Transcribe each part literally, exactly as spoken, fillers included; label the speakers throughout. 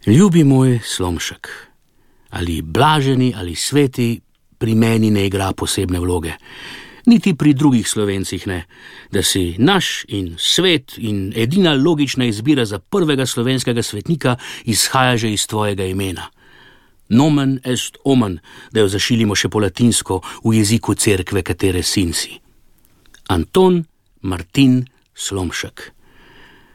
Speaker 1: Ljubi moj Slomšek, ali blaženi ali sveti pri meni ne igra posebne vloge. Niti pri drugih Slovencih ne, da si naš in svet in edina logična izbira za prvega slovenskega svetnika izhaja že iz tvojega imena. Nomen est omen, da jo zašilimo še po latinsko v jeziku cerkve, katere sin si. Anton Martin Slomšek.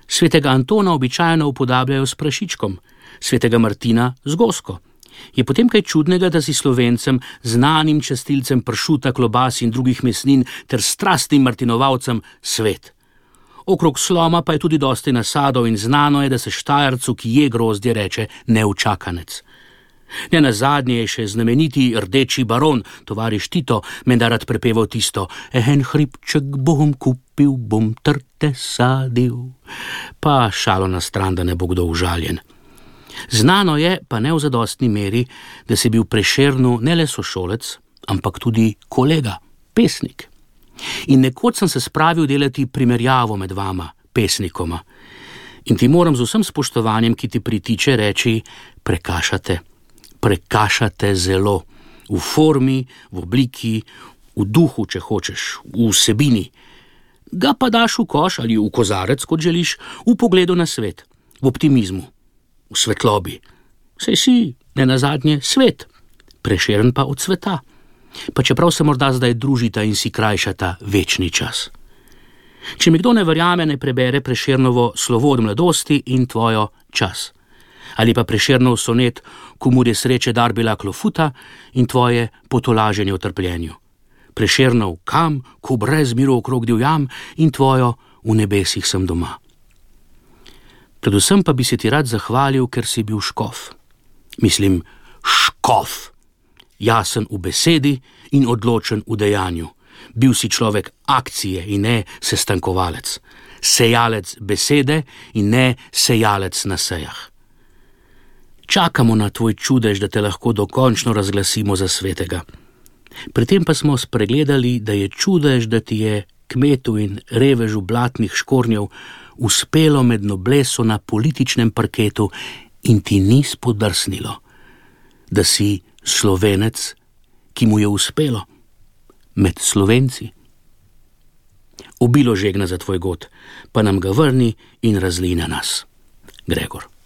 Speaker 1: Svetega Antona običajno upodabljajo s prašičkom, svetega Martina z gosko. Je potem kaj čudnega, da si Slovencem, znanim častilcem pršuta, klobas in drugih mesnin ter strastnim martinovalcem svet. Okrog sloma pa je tudi dosti nasadov in znano je, da se Štajercu, ki je grozdje, reče neučakanec. Ne nazadnje je še znameniti rdeči baron, tovariš Tito, menda rad prepeval tisto en hribček bom kupil, bom trte sadil. Pa šalo na stran, da ne bo kdo užaljen. Znano je, pa ne v zadostni meri, da si bil Prešernu ne le sošolec, ampak tudi kolega, pesnik. In nekoč sem se spravil delati primerjavo med vama, pesnikoma. In ti moram z vsem spoštovanjem, ki ti pritiče, reči, prekašate. Prekašate zelo. V formi, v obliki, v duhu, če hočeš, v vsebini. Ga pa daš v koš ali v kozarec, kot želiš, v pogledu na svet, v optimizmu. V svetlobi. Saj si, ne nazadnje, svet, Prešeren pa od sveta. Pa čeprav se morda zdaj družita in si krajšata večni čas. Če mi kdo ne verjame, ne prebere Prešernovo slovo od mladosti in tvojo čas. Ali pa Prešernov sonet, komur je sreče dar bila klofuta in tvoje potolaženje v trpljenju. Prešernov kam, ko brez miru okrog divjam in tvojo v nebesih sem doma. Predvsem pa bi se ti rad zahvalil, ker si bil škof. Mislim, škof. Jasen v besedi in odločen v dejanju. Bil si človek akcije in ne sestankovalec. Sejalec besede in ne sejalec na sejah. Čakamo na tvoj čudež, da te lahko dokončno razglasimo za svetega. Pri tem pa smo spregledali, da je čudež, da ti je kmetu in revežu blatnih škornjev uspelo med nobleso na političnem parketu in ti ni spodrsnilo, da si Slovenec, ki mu je uspelo med Slovenci. Obilo žegna za tvoj god, pa nam ga vrni in razli na nas. Gregor.